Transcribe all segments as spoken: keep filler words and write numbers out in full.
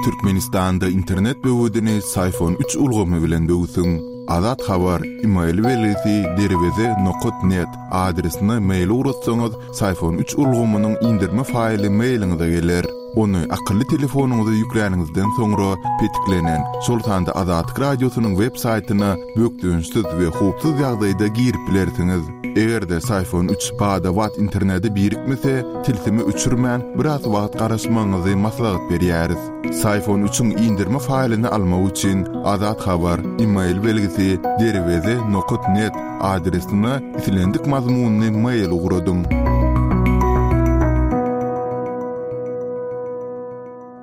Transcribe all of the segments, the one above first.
Türkmenistanda internet böwedini Syfon üç ulgamy bilen böwsüň. Azat Habar, email belgisi derweze nokat net adresine mail ugratsaňyz, Syfon üç ulgamynyň indirme faýly mailiňize geler. Ony akylly telefonyňyza ýükläniňizden soňra petiklenen, şol sanda Azatlyk Radiosynyň web saýtyna bökdençsiz we howpsuz ýagdaýda girip bilersiňiz. Eger-de Syfon üç bada-bat internete birikmese, tilsimi öçürmän biraz wagt garaşmagyňyzy maslahat berýäris. Syfon üçiň indirme faýlyny almak üçin Azat Habar, email belgisi derweze nokat net adresine islendik mazmunyny mail ugradyň.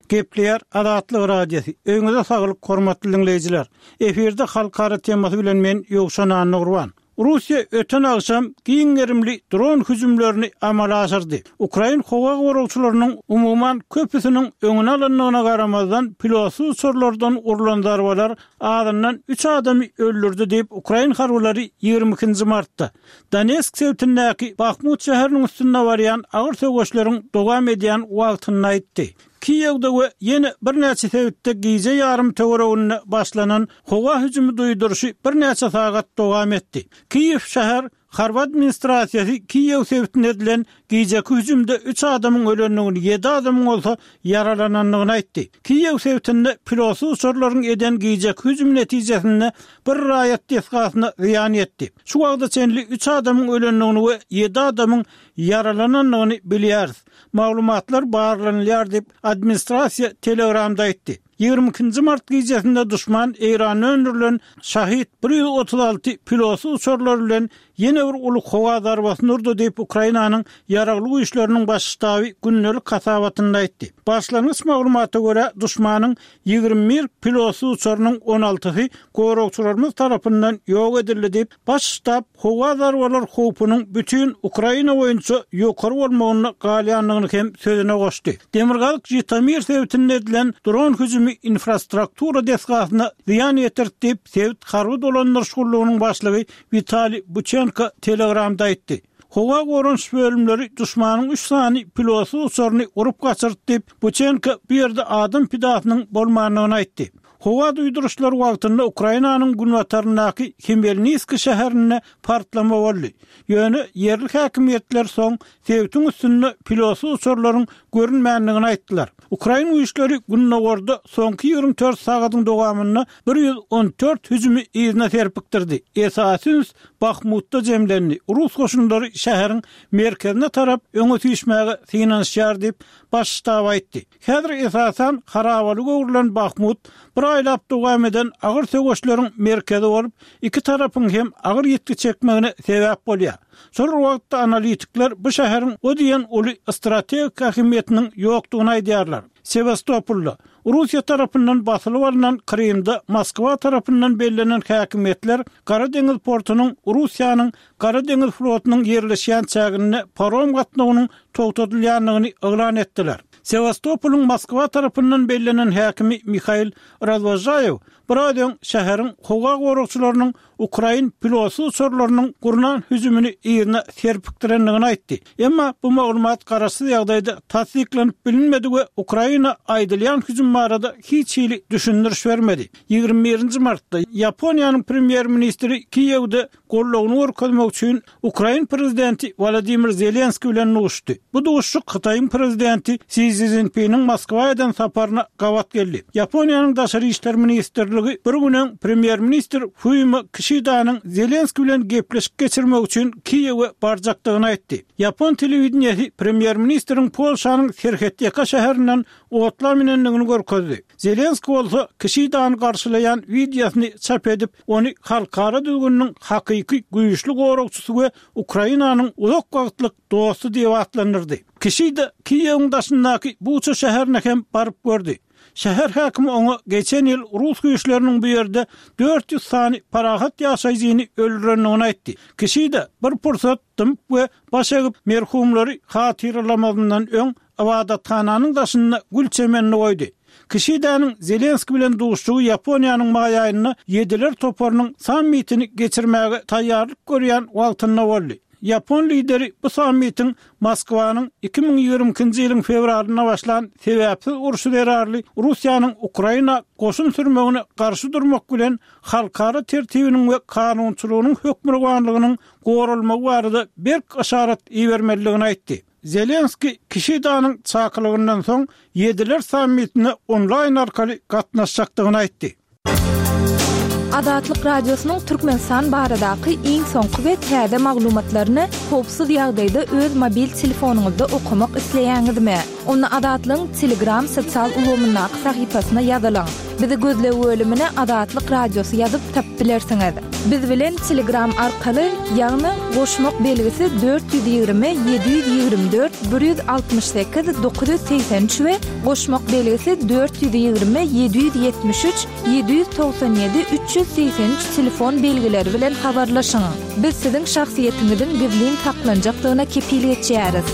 Gepleýär Azatlyk Radiosy. Öýüňize saglyk, hormatly dinleýjiler. Efirde halkara temasy bilen men Ýowşan Annagurban. Russiýa öten agşam giň gerimli dron hüjümlerini amala aşyrdy. Ukrain howa goragçylarynyň umuman köpüsiniň öňüne alyndygyna garamazdan pilotsyz uçarlardan urlan zarbalar azyndan üç adamy öldürdi diýip Ukrain harbylary ýigrimi ikinji martda Donetsk sebitindäki Bahmut şäheriniň üstünde barýan agyr söweşleriň dowam edýän wagtynda aýtdy. Kiýewde we ýene birnäçe sebitde gije ýarym töwereginde başlanan howa hüjümi duýduryşy birnäçe sagat dowam etdi. Kiýew şäher harby administrasiýasy Kiýew sebitinde edilen gijeki hüjümde üç adamyň ölendigini, ýedi adamyň bolsa ýaralanandygyny aýtdy. Kiýew sebitinde pilotsyz uçarlaryň eden gijeki hüjümi netijesinde bir raýat desgasyna zyýan ýetdi. Şu wagta çenli üç adamyň ölendigini we ýedi adamyň ýaralanandygyny bilýäris. Maglumatlar barlanylýar diýip, administrasiýa Telegramda aýtdy. Ýigrimi ikinji mart gijesinde duşman Eýranda öndürilen Şahid bir ýüz otuz alty pilotsyz uçarlar bilen ýene bir uly howa zarbasyny urdy diýip, Ukrainanyň Ýaragly Güýçleriniň baş ştaby gündelik hasabatynda aýtdy. Başlangyç maglumata görä, duşmanyň ýigrimi bir pilotsyz uçarynyň on altysy goragçylarymyz tarapyndan ýok edildi diýip, baş ştab howa zarbalar howpunyň bütin Ukraina boýunça ýokary bolmagynda galýandygyny hem sözüne goşdy. Demirgazyk Žitomir sebitinde edilen dron hüjümi infrastruktura desgasyna zyýan ýetirdi diýip, sebit harby dolandyryş gullugynyň başlygy Witaliý Buçenko Telegramda aýtdy. Howa goranyş bölümleri duşmanyň üç sany pilotsyz uçaryny urup gaçyrdy diýip, Buçenko bu ýerde adam pidasynyň bolmandygyny aýtdy. Howa duýduryşlary wagtynda Ukrainanyň günbataryndaky Hmelnitskiý şäherinde partlama boldy. Ýöne ýerli häkimiýetler soň sebitiň üstünde pilotsyz uçarlaryň görünmändigini aýtdylar. Ukrain güýçleri gündogarda soňky ýigrimi dört sagadyň dowamynda bir ýüz on dört hüjümi yzyna serpikdirdi. Esasy üns Bahmutda jemlendi. Rus goşunlary şäheriň merkezine tarap öňe süýşmäge synanyşýar diýip, baş ştab aýtdy. Häzir esasan harabaly öwrülen Bahmut bir aýlap dowam eden agyr söweşleriň merkezi bolup, iki tarapyň hem agyr ýitgi çekmegine sebäp bolýar. Şol wagtda analitikler bu şäheriň o diýen uly strategik ähmiýetiniň ýokdugyny aýdýarlar. Sewastopolda Russiýa tarapyndan basylyp alnan Krymda Moskwa tarapyndan bellenen häkimiýetler Gara deňiz portunyň Russiýanyň Gara deňiz flotunyň ýerleşýän çäginde parom gatnawynyň togtadylýandygyny yglan etdiler. Sewastopolyň Moskwa tarapyndan bellenen häkimi Mihail Razwožaýew biraz öň şäheriň howa goragçylarynyň ukrain pilotsyz uçarlarynyň gurnan hüjümini yzyna serpikdirendigini aýtdy. Emma bu maglumat garaşsyz ýagdaýda tassyklanyp bilinmedi we Ukraina aýdylýan hüjüm barada hiç hili düşündiriş bermedi. Ýigrimi birinji martda Ýaponiýanyň premýer-ministri Kiýewde goldawyny görkezmek üçin Ukrain prezidenti Wolodymyr Zelenskiý bilen duşuşdy. Bu duşuşyk Hytaýyň prezidenti Si Szinpiniň Moskwa eden saparyna gabat geldi. Ýaponiýanyň Daşary işler ministrligi bir gün öň premýer-ministr Fumio Kişidanyň Zelenskiý bilen gepleşik geçirmek üçin Kiýewe barjakdygyny aýtdy. Ýapon telewideniýesi premýer-ministriň Polşanyň serhetýaka şäherinden otla münendigini görkezdi. Zelenskiý bolsa Kişidany garşylaýan wideosyny çap edip, ony halkara düzgüniniň hakyky güýçli goragçysy we Ukrainanyň uzak wagtlyk dosty diýip atlandyrdy. Kişida Kiýewiň daşyndaky Buça şäherine hem baryp gördi. Şäher häkimi oňa geçen ýyl rus güýçleriniň bu ýerde dört ýüz sany parahat ýaşaýjyny öldürendigini aýtdy. Kişida bir pursat dymyp we baş egip merhumlary hatyralamazyndan öň ybadathananyň daşynda gül çemenini goýdy. Kişidanyň Zelenskiý bilen duşuşygy Ýaponiýanyň maý aýynda Ýediler toparynyň sammitini geçirmäge taýýarlyk görýän wagtynda boldy. Ýapon lideri bu sammitiň Moskwanyň iki müň ýigrimi ikinji ýylyň fewralynda başlan sebäpsiz urşy zerarly Russiýanyň Ukraina goşun sürmegine garşy durmak bilen halkara tertibiniň we kanunçylygynyň hökmürowanlygynyň goralmagy barada berk yşarat ibermelidigini aýtdy. Zelenskiý Kişidanyň çakylygyndan soň Ýediler sammitine onlaýn arkaly gatnaşjakdygyny aýtdy. Azatlyk Radiosynyň Türkmenistan baradaky iň soňky we täze maglumatlaryny howpsuz ýagdaýda öz mobil telefonyňyzda okamak isleýäňizmi? Onda Azatlygyň Telegram sosial ulgamyndaky sahypasyna ýazylyň. Bizi gözleg bölümine Azatlyk Radiosy ýazyp tapyp bilersiňiz. Biz bilen Telegram arkaly, ýagny goşmak belgisi dört ýüz ýigrimi ýedi ýüz ýigrimi dört bir ýüz altmyş sekiz dokuz ýüz segsen üç we goşmak belgisi dört ýüz ýigrimi ýedi ýüz ýetmiş üç ýedi ýüz togsan ýedi üç ýüz segsen üç telefon belgileri bilen habarlaşyň. Biz siziň şahsyýetiňiziň gizlin saklanjakdygyna kepil geçýäris.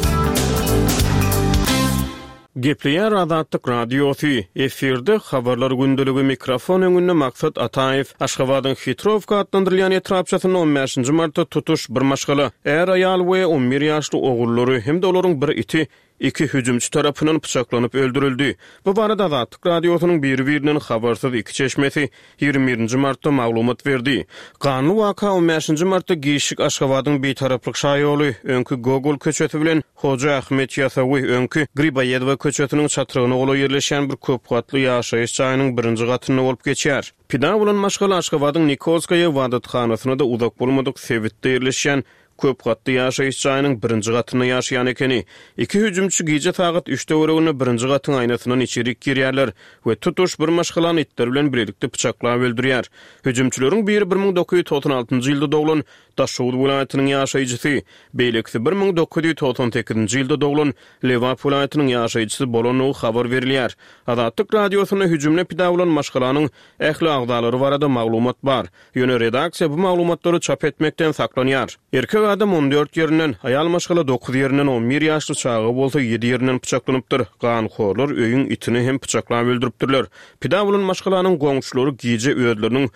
Gepleýär Azatlyk Radiosy, efirde Habarlar gündeligi, mikrofon öňünde Maksat Ataýew. Aşgabadyň Hitrowka atlandyrylýan etrapçasynda on bäşinji martda tutuş bir maşgala, är-aýal we on bir ýaşly ogullary hem-de olaryň bir iti iki hüjümçi tarapyndan pyçaklanyp öldürildi. Bu barada Azatlyk Radiosynyň biri-birinden habarsyz iki çeşmesi ýigrimi birinji martda maglumat berdi. Ganly waka on bäşinji martda giçlik Aşgabadyň Bitaraplyk şaýoly, öňki Gogol köçesi bilen Hoja Ahmet Ýasawy, öňki Griboýedowa köçesiniň çatrygyna golaý ýerleşýän bir köpgatly ýaşaýyş jaýynyň birinji gatynda bolup geçýär. Pida bolan maşgala Aşgabadyň Nikolskaýa ybadathanasyna-da uzak bolmadyk sebitde ýerleşýän köp gatly ýaşaýyş jaýynyň birinji gatynda ýaşaýan ekeni. Iki hüjümçi gije sagat üç töwereginde birinji gatyň aýnasyndan içerik girýärler we tutuş bir maşgalany itler bilen birlikde pyçaklap öldürýär. Hüjümçileriň biri bir müň dokuz ýüz togsan altynjy ýylda doglan Daşoguz welaýatynyň ýaşaýjysy, beýlekisi bir müň dokuz ýüz togsan sekizinji ýylda doglan Lebap welaýatynyň ýaşaýjysy bolandygy habar berilýär. Azatlyk Radiosynda hüjümde pida bolan maşgalanyň ähli agzalary barada maglumat bar. Ýöne redaksiýa bu maglumatlary çap etmekden saklanýar. Erkek adam on dört ýerinden, aýal maşgala dokuz ýerinden, on bir ýaşly çaga bolsa ýedi ýerinden pyçaklanypdyr. Ganhorlar öýüň itini hem pyçaklap öldüripdirler. Pida bolan maşgalanyň goňşulary gije özleriniň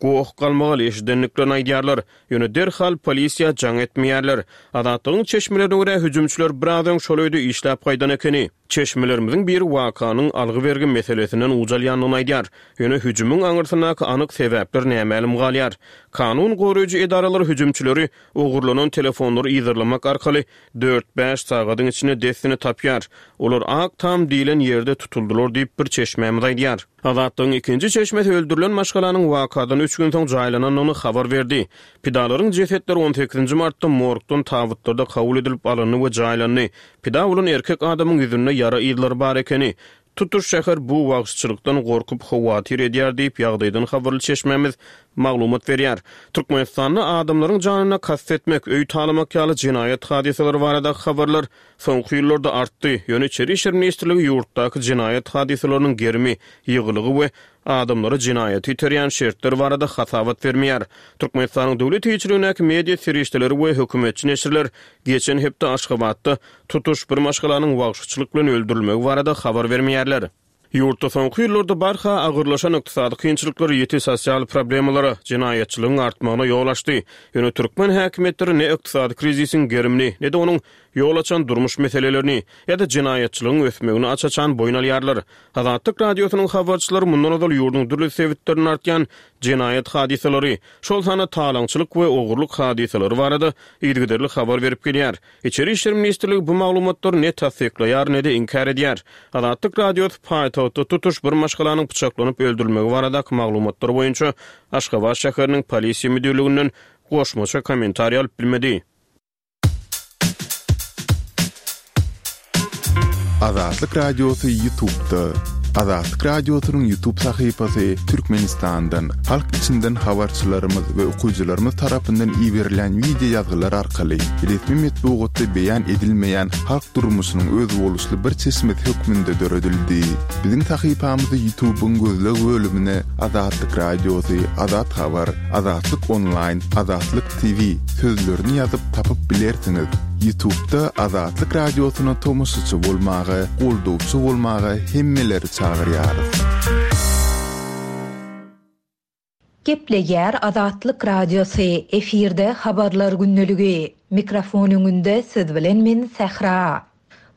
goh-galmagal eşidendiklerini aýdýarlar. Ýöne derhal polisiýa jaň etmeýärler. Azatlygyň çeşmelerine görä, hüjümçiler biraz öň şol öýde işläp gaýdan ekeni. Çeşmelerimiziň biri wakanyň algy-bergi meselesinden uç alýandygyny aýdýar. Ýöne hüjümiň aňyrsyndaky anyk sebäpler nämälim galýar. Kanun goraýjy edaralar hüjümçileri ogurlanan telefonlary yzarlamak arkaly dört-bäş sagadyň içinde dessine tapýar. Olar Ak tam diýlen ýerde tutuldylar diýip, bir çeşmämiz aýdýar. Azatlygyň ikinji çeşmesi öldürilen maşgalanyň wakadan üç gün soň jaýlanandygyny habar berdi. Pidalaryň jesetleri on sekizinji martda morgdan tabytlarda kabul edilip alyndy we jaýlandy. Pida bolan erkek adamyň ýüzünde ýara yzlary bar ekeni. Tutuş şäher bu wagşyçylykdan gorkup howatyr edýär diýip, ýagdaýdan habarly çeşmämiz maglumat berýär. Türkmenistanda adamlaryň janyna kast etmek, öý talamak ýaly jenaýat hadysalary baradaky habarlar soňky ýyllarda artdy. Ýöne Içeri işler ministrligi ýurtdaky jenaýat hadysalarynyň gerimi, ýygylygy we adamlary jenaýata iterýän şertler barada hasabat bermeýär. Türkmenistanyň döwlet eýeçiligindäki media serişdeleri we hökümetçi neşirler geçen hepde Aşgabatda tutuş bir maşgalanyň wagşyçylyk bilen öldürilmegi barada habar bermeýärler. Ýurtda soňky ýyllarda barha agyrlaşan ykdysady kynçylyklar ýiti sosial problemalara, jenaýatçylygyň artmagyna ýol açdy. Ýöne türkmen häkimiýetleri ne ykdysady krizisiň gerimini, ne-de onuň ýol açan durmuş meselelerini ýa-da jenaýatçylygyň ösmegini aç-açan boýun alýarlar. Azatlyk Radiosynyň habarçylary mundan ozal ýurduň dürli sebitlerinde artýan jenaýat hadysalary, şol sanda talaňçylyk we ogurlyk hadysalary barada yzygiderli habar berip gelýär. Içeri işler ministrligi bu maglumatlary ne tassyklaýar, ne-de inkär edýär. Azatlyk Radiosy paýtagtda tutuş bir maşgalanyň pyçaklanyp öldürilmegi baradaky maglumatlar boýunça Aşgabat şäheriniň polisiýa müdirliginden goşmaça kommentariý alyp bilmedi. Azatlyk Radiosy YouTube'da. Azatlyk Radiosynyň YouTube sahypasy Türkmenistandan, halk içinden habarçylarymyz we okyjylarymyz tarapyndan iberilen wideo ýazgylar arkaly resmi metbugatda beýan edilmeýän halk durmuşynyň özboluşly bir çeşmesi hökmünde döredildi. Biziň sahypamyzy YouTube'yň gözleg bölümine Azatlyk Radiosy, Azat Habar, Azatlyk Online, Azatlyk T V sözlerini ýazyp tapyp bilersiňiz. YouTube'da Azatlyk Radiosyna tomaşaçy bolmaga, goldawçy bolmaga hemmeleri çagyrýarys. Gepleýär Azatlyk Radiosy, efirde Habarlar gündeligi. Mikrofon öňünde siz bilen men Sähra.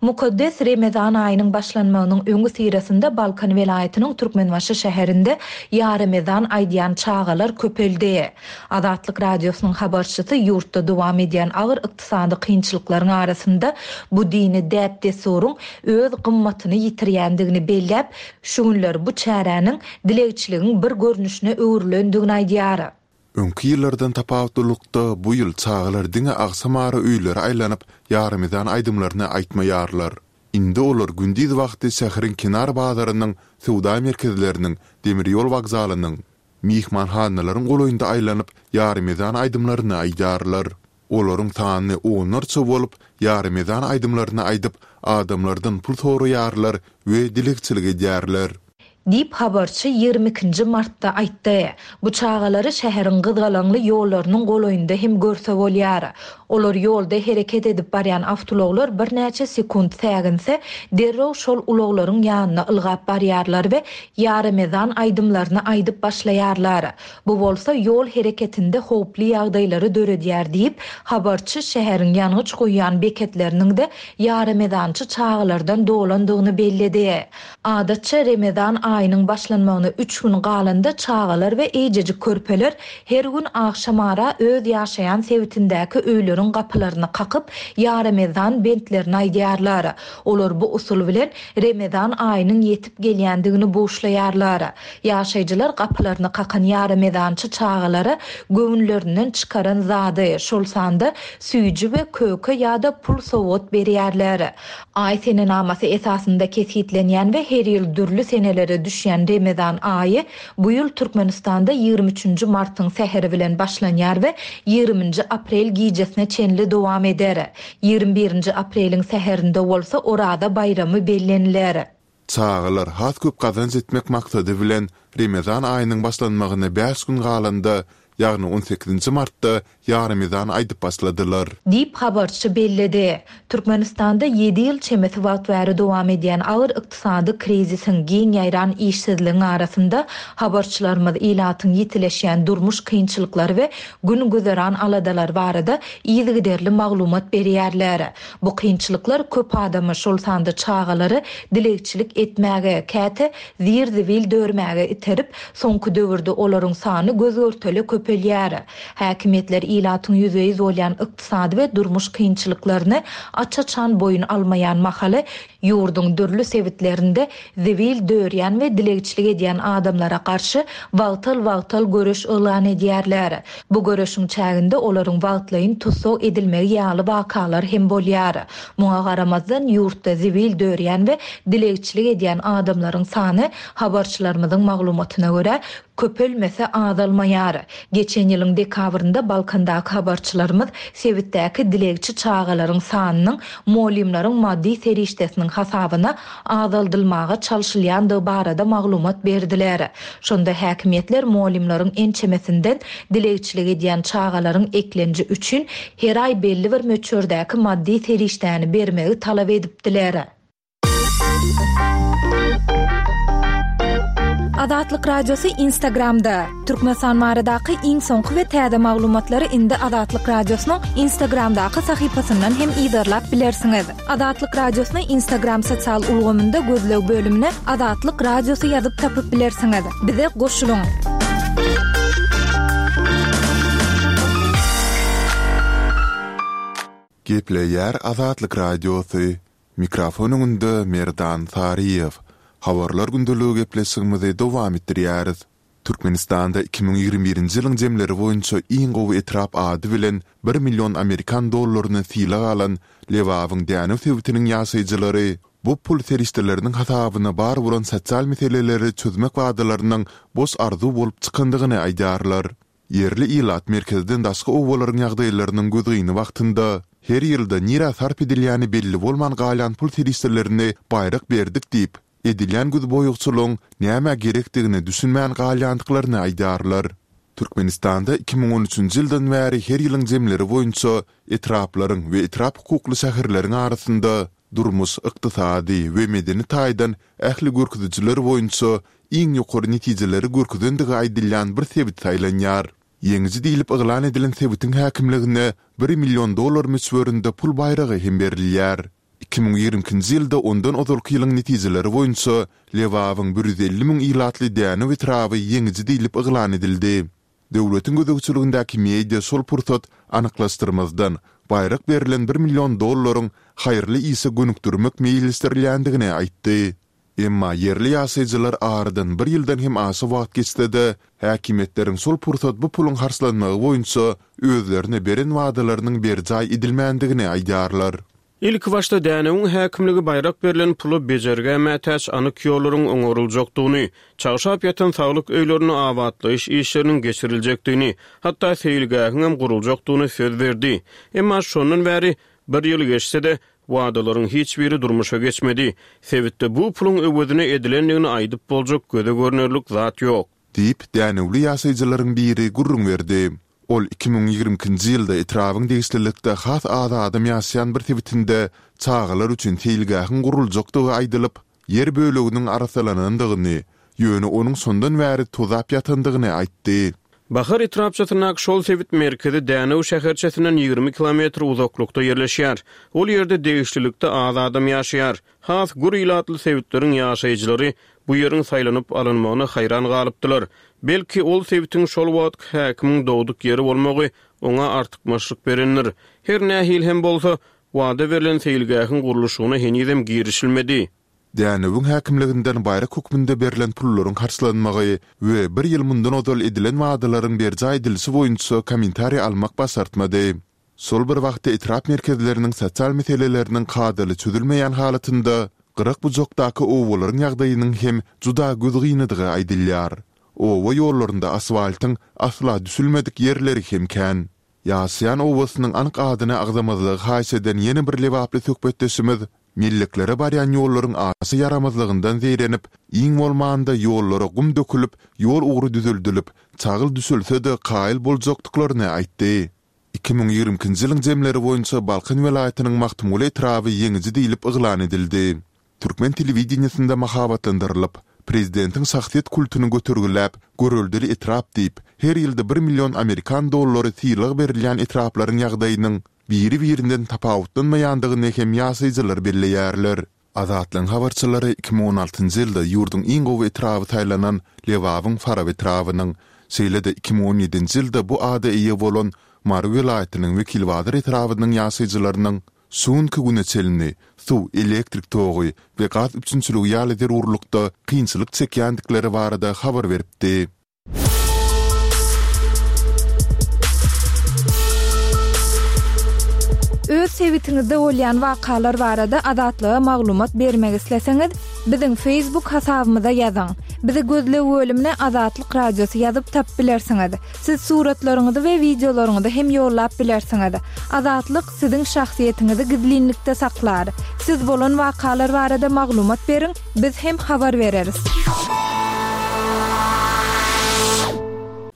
Mukaddes Remezan aýynyň başlanmagynyň öňüsyrasynda Balkan welaýatynyň Türkmenbaşy şäherinde ýaremezan aýdýan çagalar köpeldi. Azatlyk Radiosynyň habarçysy ýurtda dowam edýän agyr ykdysady kynçylyklaryň arasynda bu dini däp-dessuryň öz gymmatyny ýitirýändigini belläp, şu günler bu çäräniň dilegçiligiň bir görnüşine öwrülendigini aýdýar. Öňki ýyllardan tapawutlylykda, bu ýyl çagalar diňe agşamara öýlere aýlanyp, ýaremezan aýdymlaryny aýtmaýarlar. Indi olar gündiz wagty şäheriň kenar bazarynyň, söwda merkezleriniň, demir ýol wokzalynyň, myhmanhanalaryň golaýynda aýlanyp, ýaremezan aýdymlaryny aýdýarlar. Olaryň sany onlarça bolup, ýaremezan aýdymlaryny aýdyp, adamlardan pul soraýarlar we dilegçilik edýärler. Diýip, habarçy ýigrimi ikinji martda aýtdy. Bu çagalary şäheriň gyzgalaňly ýollarynyň golaýynda hem görse bolýar. Olar ýolda hereket edip barýan awtoulaglar birnäçe sekunt säginse, derrew şol ulaglaryň ýanyna ylgap barýarlar we ýaremezan aýdymlaryny aýdyp başlaýarlar. Bu bolsa ýol hereketinde howply ýagdaýlary döredýär diýip, habarçy şäheriň ýangyç guýýan beketleriniň-de ýaremezançy çagalardan dolandygyny belledi. Adatça Remezan aýynyň başlanmagyna üç gün galanda çagalar we eýjejik körpeler her gün agşamara öz ýaşaýan sebitindäki öýleriň gapylaryny kakyp, ýaremezan bentlerini aýdýarlar. Olar bu usul bilen Remezan aýynyň ýetip gelýändigini buşlaýarlar. Ýaşaýjylar gapylaryny kakan ýaremezançy çagalara göwünlerinden çykaran zady, şol sanda süýji we köke ýa-da pul sowgat berýärler. Aý senenamasy esasynda kesgitlenýän we her ýyl dürli senelere düşýän Remezan aýy bu ýyl Türkmenistanda ýigrimi üçünji martyň säheri bilen başlanýar we ýigriminji aprel gijesine çenli dowam eder. Ýigrimi birinji apreliň säherinde bolsa Oraza baýramy belleniler. Çagalar has köp gazanç etmek maksady bilen Remezan aýynyň başlanmagyna bäş gün galanda, ýagny on sekizinji martda ýaremezan aýdyp başladylar. Diýip, habarçy belledi. Türkmenistanda ýedi ýyl çemesi wagt bäri dowam edýän agyr ykdysady krizisiň, giň ýaýran işsizligiň arasynda habarçylarymyz ilatyň ýitileşýän durmuş kynçylyklary we gün-güzeran aladalary barada yzygiderli maglumat berýärler. Bu kynçylyklar köp adamy, şol sanda çagalary dilegçilik etmäge, käte zir-zibil dörmäge iterip, soňky döwürde olaryň sany göz-görtele köpelýär. Häkimiýetler ilatyň ýüzbe-ýüz bolýan ykdysady we durmuş kynçylyklaryny aç-açan boýun almaýan mahaly ýurduň dürli sebitlerinde zibil dörýän we dilegçilik edýän adamlara garşy wagtal-wagtal göreş yglan edýärler. Bu göreşiň çäginde olaryň wagtlaýyn tussag edilmegi ýaly wakalar hem bolýar. Muňa garamazdan ýurtda zibil dörýän we dilegçilik edýän adamlaryň sany habarçylarymyzyň maglumatyna görä köpelmese azalmaýar. Geçen ýylyň dekabrynda Balkandaky habarçylarymyz sebitdäki dilegçi çagalaryň sanynyň mugallymlaryň maddy serişdesiniň hasabyna azaldylmaga çalşylýandygy barada maglumat berdiler. Şonda häkimiýetler mugallymlaryň ençemesinden dilegçilik edýän çagalaryň eklenji üçin her aý belli bir möçberdäki maddy serişdäni bermegi talap edipdiler. Azatlyk Radiosy Instagramda. Türkmenistan baradaky iň soňky we täze maglumatlary indi Azatlyk Radiosynyň Instagramdaky sahypasyndan hem yzarlap bilersiňiz. Azatlyk Radiosyny Instagram sosial ulgamynda gözleg bölümine Azatlyk Radiosy ýazyp tapyp bilersiňiz. Bize goşulyň. Gepleýär Azatlyk Radiosy. Mikrofon öňünde Merdan Saryýew. Habarlar gündeligi gepleşigimizi dowam etdirýäris. Türkmenistanda iki müň ýigrimi birinji ýylyň jemleri boýunça iň gowy etrap ady bilen bir million amerikan dollaryny sylag alan Lebabyň Dänew sebitiniň ýaşaýjylary bu pul serişdeleriniň hasabyna bar bolan sosial meseleleri çözmek wadalarynyň boş arzuw bolup çykandygyny aýdýarlar. Ýerli ilat merkezden daşky obalaryň ýagdaýlarynyň gözgyny wagtynda her ýylda nirä sarp edilýäni belli bolman galýan pul serişdelerini baýrak berdik diýip, edilýän gözboýagçylygyň nämä gerekdigine düşünmän galýandyklaryny aýdýarlar. Türkmenistanda iki müň on üçünji ýyldan bäri her ýylyň jemleri boýunça etraplaryň we etrap hukukly şäherleriň arasynda durmuş, ykdysady we medeni taýdan ähli görkezijiler boýunça iň ýokary netijeleri görkezendigi aýdylýan bir sebit saýlanýar. Ýeňiji diýlip yglan edilen sebitiň häkimligine bir million dollar möçberinde pul baýragy hem berilýär. Iki müň ýigrimi ikinji ýylda ondan ozalky ýylyň netijeleri boýunça Lebabyň bir ýüz elli müň ilatly Dänew etraby ýeňiji diýlip yglan edildi. Döwletiň gözegçiligindäki media şol pursat anyklaşdyrmazdan, baýrak berlen bir million dollaryň haýyrly işe gönükdirmek meýilleşdirilýändigini aýtdy. Emma ýerli ýaşaýjylar aradan bir ýyldan hem aşa wagt geçse-de, häkimiýetleriň şol pursat bu puluň harçlanmagy boýunça özlerine beren wadalarynyň berjaý edilmändigini aýdýarlar. Ilkibaşda Dänewiň häkimligi baýrak berlen pula bejergä mätäç anyk ýollaryň oňaryljakdygyny, çagşap ýatan saglyk öýlerinde abatlaýyş işleriniň geçiriljekdigini, hatda seýilgähiňem guruljakdygyny söz berdi. Emma şondan bäri bir ýyl geçse-de, wadalaryň hiç biri durmuşa geçmedi. Sebitde bu puluň öwezine edilendigini aýdyp boljak göze görnerlik zat ýok. Diýip, dänewli ýaşaýjylaryň biri gürrüň berdi. Ol iki müň ýigrimi ikinji ýylda etrabyň degişlilikde has az adam ýaşaýan bir sebitinde çagalar üçin seýilgähiň guruljakdygy aýdylyp, ýer böleginiň arassalanandygyny, ýöne onuň şondan bäri tozap ýatandygyny aýtdy. Bahar etrapçasyndaky şol sebit merkezi Dänew şäherçesinden ýigrimi kilometr uzaklykda ýerleşýär. Ol ýerde degişlilikde az adam ýaşaýar. Has gür ilatly sebitleriň ýaşaýjylary bu ýeriň saýlanyp alynmagyna haýran galypdylar. Belki, ol sebitiň şol wagtky häkimiň dogduk ýeri bolmagy oňa artykmaçlyk berendir. Her nähili hem bolsa, wada berlen seýilgähiň gurluşygyna henizem girişilmedi. Dänewiň häkimliginden baýrak hökmünde berlen pullaryň harçlanmagy we bir ýyl mundan ozal edilen wadalaryň berjaý edilişi boýunça kommentariý almak başartmady. Şol bir wagtda etrap merkezleriniň sosial meseleleriniň kadaly çözülmeýän halatynda gyrak-bujakdaky obalaryň ýagdaýynyň hem juda gözgynydygy aýdylýar. Oba ýollarynda asfaltyň asla düşülmedik ýerleri hem kän. Ýaşaýan obasynyň anyk adyny agzamazlygy haýyş eden ýene bir lebaply söhbetdeşimiz melleklere barýan ýollaryň aşa ýaramazlygyndan zeýrenip, iň bolmanda ýollara gum dökülip, ýol ugry düzeldilip, çagyl düşülse-de kaýyl boljakdyklaryny aýtdy. Iki müň ýigrimi ikinji ýylyň jemleri boýunça Balkan welaýatynyň Magtymguly etraby ýeňiji diýlip yglan edildi. Türkmen telewideniýesinde mahabatlandyrylyp, prezidentiň şahsyýet kultuny götergiläp, göreldeli etrap diýip, her ýylda bir million amerikan dollary sylag berilýän etraplaryň ýagdaýynyň biri-birinden tapawutlanmaýandygyny hem ýaşaýjylar belleýärler. Azatlygyň habarçylary iki müň on altynjy ýylda ýurduň iň gowy etraby saýlanan Lebabyň Farap etrabynyň, şeýle-de iki müň on ýedinji ýylda bu ada eýe bolan Mary welaýatynyň Wekilbazar etrabynyň ýaşaýjylarynyň şu günki güne çenli suw, elektrik togy we gaz üpjünçiligi ýaly zerurlykda kynçylyk çekýändikleri barada habar beripdi. Öz sebitiňizde bolýan wakalar barada Azatlyga maglumat bermek isleseňiz, biziň Facebook hasabymyza ýazyň. Bizi gözleg bölümine Azatlyk Radiosy ýazyp tapyp bilersiňiz. Siz suratlaryňyzy we wideolaryňyzy hem ýollap bilersiňiz. Azatlyk siziň şahsyýetiňizi gizlinlikde saklar. Siz bolan wakalar barada maglumat beriň, biz hem habar bereris.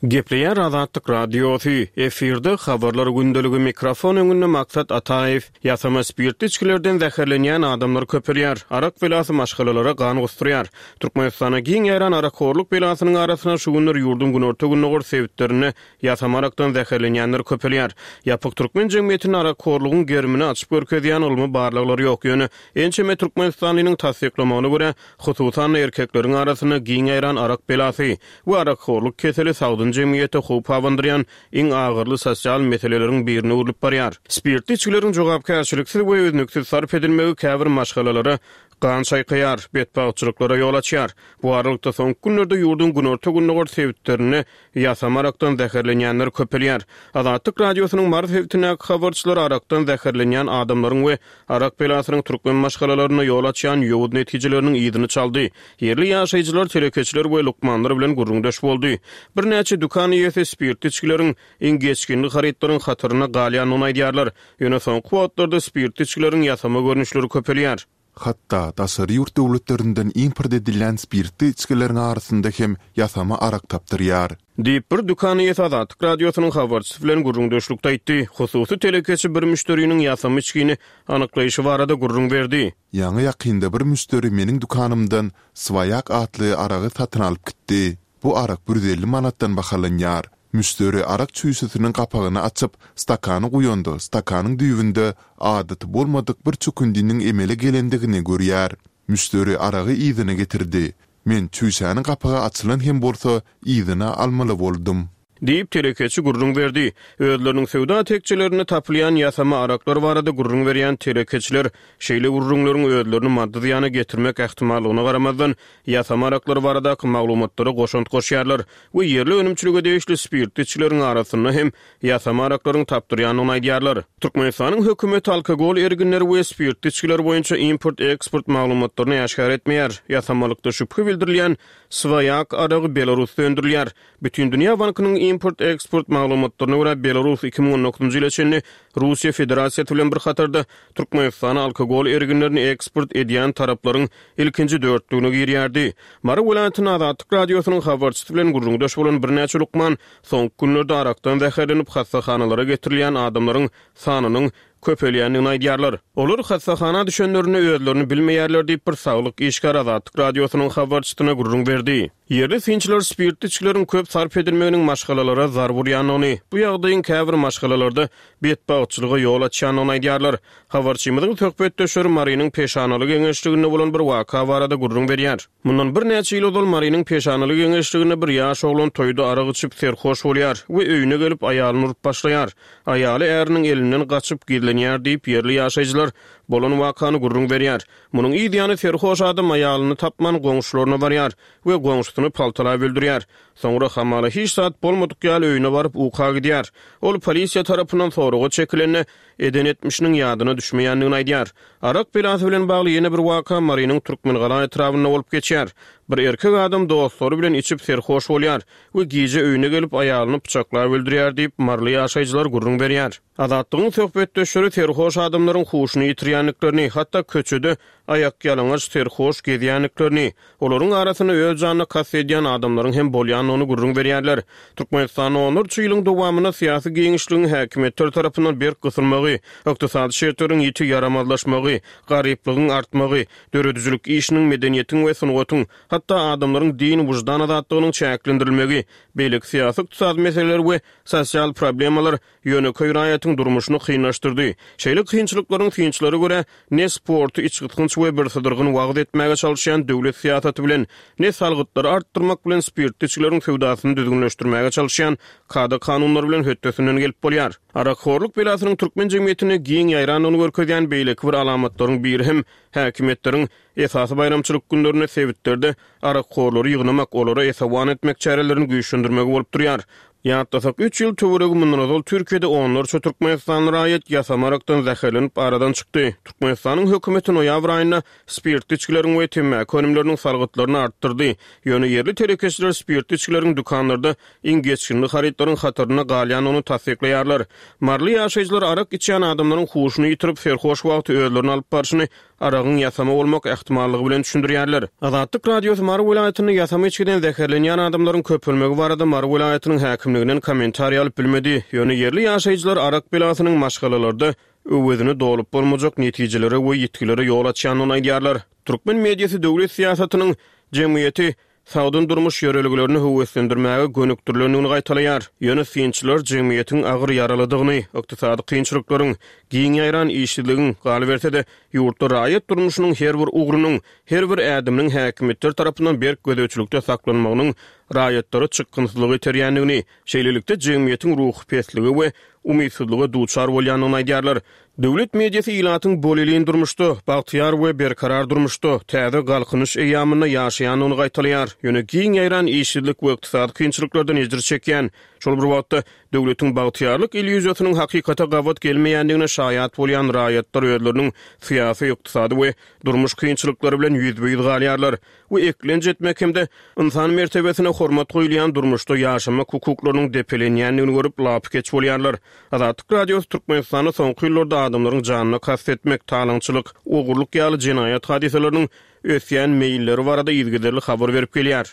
Gepleýär Azatlyk Radiosy, efirde habarlar gündeligi, mikrofon öňünde Maksat Ataýew. Ýasama spirtli içgilerden zäherlenýän adamlar köpelýär. Arak belasy maşgalalara gan gusdurýar. Türkmenistana giň ýaýran arakhorluk belasynyň arasynda şu günler ýurduň günorta-gündogar sebitlerinde ýasama arakdan zäherlenýänler köpelýär. Ýapyk türkmen jemgyýetinde arakhorlugyň gerimini açyp görkezýän ylmy barlaglar ýok. Ýöne ençeme türkmenistanlynyň tassyklamagyna görä, hususan-da erkekleriň arasynda giň ýaýran arak belasy we arakhorluk keseli sagdyn jemgyýete howp abandyrýan iň agyrly sosial meseleleriň birine öwrülip barýar. Spirtli içgileriň jogapkärçiliksiz we üznüksiz sarp edilmegi käbir maşgalalara gan çaýkaýar, betbagtçylyklara ýol açýar. Bu aralykda soňky günlerde ýurduň günorta-gündogar sebitlerinde ýasama arakdan zäherlenýänler köpelýär. Azatlyk Radiosynyň Mary sebitindäki habarçylary arakdan zäherlenýän adamlaryň we arak belasynyň türkmen maşgalalarynda ýol açýan ýowuz netijeleriniň yzyny çaldy. Ýerli ýaşaýjylar, telekeçiler we lukmanlar bilen gürrüňdeş boldy. Birnäçe dükan eýesi spirtli içgileriň iň geçginli harytlaryň hatarynda galýandygyny aýdýarlar. Ýöne soňky wagtlarda spirtli içgileriň ýasama görnüşleri köpelýär. Hatda daşary ýurt döwletlerinden import edilýän spirtli içgileriň arasynda hem ýasama arak tapdyrýar. Diýip, bir dükan eýesi Azatlyk Radiosynyň habarçysy bilen gürrüňdeşlikde aýtdy. Hususy telekeçi bir müşderiniň ýasama içgini anyklaýşy barada gürrüň berdi. Ýaňy-ýakynda bir müşderi meniň dükanymdan Swaýak atly aragy satyn alyp gitdi. Bu arak bir ýüz elli manatdan bahalanýar. Müşderi arak çüýşesiniň gapagyny açyp, stakana guýanda, stakanyň düýbünde adaty bolmadyk bir çökündiniň emele gelendigini görýär. Müşderi aragy yzyna getirdi. Men çüýşäniň gapagy açylan hem bolsa, yzyna almaly boldum. Diýip, telekeçi gürrüň berdi. Özleriniň söwda tekjelerinde tapylýan ýasama araklar barada gürrüň berýän telekeçiler şeýle gürrüňleriň özlerini maddy zyýana getirmek ähtimallygyna garamazdan, ýasama araklar baradaky maglumatlara goşant goşýarlar we ýerli önümçilige degişli spirtli içgileriň arasynda hem ýasama araklaryň tapdyrýandygyny aýdýarlar. Türkmenistanyň hökümeti alkogol erginleri we spirtli içgiler boýunça import-eksport maglumatlaryny äşgär etmeýär. Ýasamalykda şübhe bildirilýän Swaýak aragy Belarusda öndürilýär. Bütindünýä bankynyň import-eksport maglumatlaryna görä, Belarus iki müň on dokuzynjy ýyla çenli Russiýa Federasiýasy bilen bir hatarda Türkmenistana alkogol erginlerini eksport edýän taraplaryň ilkinji dörtlügine girýärdi. Mary welaýatynda Azatlyk Radiosynyň habarçysy bilen gürrüňdeş bolan birnäçe lukman soňky günlerde arakdan zäherlenip hassahanalara getirilýän adamlaryň sanynyň köpelýändigini aýdýarlar. Olar hassahana düşenlerinde özlerini bilmeýärler diýip, bir saglyk işgäri Azatlyk Radiosynyň habarçysyna gürrüň berdi. Ýerli synçylar spirtli içgileriň köp sarp edilmeginiň maşgalalara zarb urýandygyny, bu ýagdaýyň käbir maşgalalarda betbagtçylyga ýol açýandygyny aýdýarlar. Habarçymyzyň söhbetdeşleri Marynyň Peşanaly geňeşliginde bolan bir waka barada gürrüň berýär. Mundan birnäçe ýyl ozal Marynyň Peşanaly geňeşliginde bir ýaş oglan toýda arak içip serhoş bolýar we öýüne gelip aýalyny urup başlaýar. Aýaly äriniň elinden gaçyp gizlenýär diýip, ýerli ýaşaýjylar bolan wakany gürrüň berýär. Munuň yz ýany serhoş adam aýalyny tapman goňşularyna barýar we goňşusyny paltalap öldürýär. Soňra hamala hiç zat bolmadyk ýaly öýüne baryp uka gidýär. Ol polisiýa tarapyndan soraga çekilende eden etmişiniň ýadyna düşmeýändigini aýdýar. Arak belasy bilen bagly ýene bir waka Marynyň Türkmengala etrabynda bolup geçýär. Bir erkek adam dostlary bilen içip serhoş bolýar we gije öýüne gelip aýalyny pyçaklap öldürýär diýip, maryly ýaşaýjylar gürrüň berýär. Azatlygyň söhbetdeşleri serhoş adamlaryň huşuny ýitirýändiklerini, hatda köçede aýakýalaňaç serhoş gezýändiklerini, olaryň arasynda öz janyna kast edýän adamlaryň hem bolýandygyny gürrüň berýärler. Türkmenistanda onlarça ýylyň dowamynda syýasy giňişligiň häkimiýetler tarapyndan berk gysylmagy, ykdysady şertleriň ýiti ýaramazlaşmagy, garyplygyň artmagy, döredijilik işiniň, medeniýetiň we sungatyň, hatda adamlaryň din, wyždan azatlygynyň çäklendirilmegi, beýleki syýasy-ykdysady meseleler we sosial problemalar ýönekeý raýatyň durmuşyny kynlaşdyrdy. Şeýle kynçylyklaryň synçylara görä, ne sporty içgysgynç we birsydyrgyn wagyz etmäge çalyşýan döwlet syýasaty bilen, ne salgytlary artdyrmak bilen spirtli içgileriň söwdasyny düzgünleşdirmäge çalyşýan kada-kanunlar bilen hötdesinden gelip bolýar. Arakhorluk belasynyň türkmen jemgyýetinde giň ýaýrandygyny görkezýän beýleki bir alamatlaryň biri hem häkimiýetleriň esasy baýramçylyk günlerinde sebitlerde arakhorlary ýygnamak, olara esewan etmek çärelerini güýçlendirmegi bolup durýar. Ýatlasak, üç ýyl töweregi mundan ozal Türkiýede onlarça türkmenistanly raýat ýasama arakdan zäherlenip aradan çykdy. Türkmenistanyň hökümeti noýabr aýynda spirtli içgileriň we temmäki önümleriniň salgytlaryny artdyrdy. Ýöne ýerli telekeçiler spirtli içgileriň dükanlarda iň geçginli harytlaryň hatarynda galýandygyny tassyklaýarlar. Maryly ýaşaýjylar arak içýän adamlaryň huşuny ýitirip, serhoş wagty özlerini alyp barşyny aragyň ýasama bolmak ähtimallygy bilen düşündirýärler. Azatlyk Radiosy Mary welaýatynda ýasama içgiden zäherlenýän adamlaryň köpelmegi barada Mary welaýatynyň häkimliginden kommentariý alyp bilmedi. Ýöne ýerli ýaşaýjylar arak belasynyň maşgalalarda öwezini dolup bolmajak netijelere we ýitgilere ýol açýandygyny aýdýarlar. Türkmen mediasy döwlet syýasatynyň jemgyýeti sagdyn durmuş ýörelgelerini höweslendirmäge gönükdirilendigini gaýtalaýar. Ýöne synçylar jemgyýetiň agyr ýaralydygyny, ykdysady kynçylyklaryň, giň ýaýran işsizligiň, galyberse-de, ýurtda raýat durmuşynyň her bir ugrunyň, her bir ädiminiň häkimiýetler tarapyndan berk gözegçilikde saklanmagynyň raýatlary çykgynsyzlyga iterýändigini, şeýlelikde jemgyýetiň ruhy pesligi we umytsyzlyga duçar bolýandygyny aýdýarlar. Döwlet mediasy ilatyň bolelin durmuşda, bagtyýar we berkarar durmuşda, täze galkynyş eýýamynda ýaşaýandygyny gaýtalaýar. Ýöne giň ýaýran işsizlik we ykdysady kynçylyklardan ejir çekýän, şol bir wagtda döwletiň bagtyýarlyk illýuziýasynyň hakykata gabat gelmeýändigine şaýat bolýan raýatlar özleriniň syýasy, ykdysady we durmuş kynçylyklary bilen ýüzbe-ýüz galýarlar we eklenç etmek hem-de ynsan mertebesine hormat goýulýan durmuşda ýaşamak hukuklarynyň depelenýändigini görüp lapykeç bolýarlar. Azatlyk Radiosy Türkmenistanda soňky ýyllarda adamlaryň janyna kast etmek, talaňçylyk, ogurlyk ýaly jenaýat hadysalarynyň ösýän meýilleri barada yzygiderli habar berip gelýär.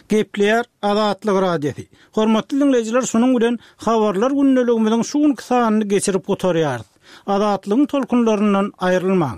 Gepleýär Azatlyk Radiosy. Hormatly diňleýjiler, şunuň bilen habarlar gündeligimiziň şu günki sanyny geçirip gutarýarys. Azatlygyň tolkunlaryndan aýrylmaň.